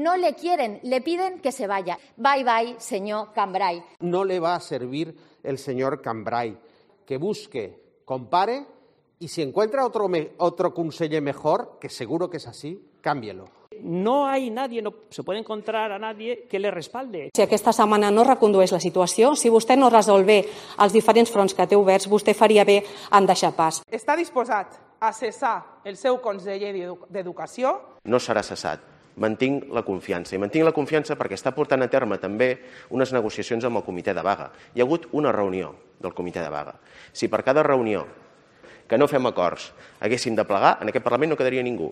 no le quieren, le piden que se vaya. Bye, bye, señor Cambray. No le va a servir el señor Cambray. Que busque, compare y si encuentra otro conseller mejor, que seguro que es así, cámbielo. No hay nadie, no se puede encontrar a nadie que le respalde. Si aquesta setmana no recondueix la situació, si vostè no resol bé els diferents fronts que té oberts, vostè faria bé en deixar pas. Està disposat a cessar el seu conseller d'Educació? No serà cessat. Mantinc la confiança. I mantinc la confiança perquè està portant a terme també unes negociacions amb el comitè de vaga. Hi ha hagut una reunió del comitè de vaga. Si per cada reunió que no fem acords haguéssim de plegar, en aquest Parlament no quedaria ningú.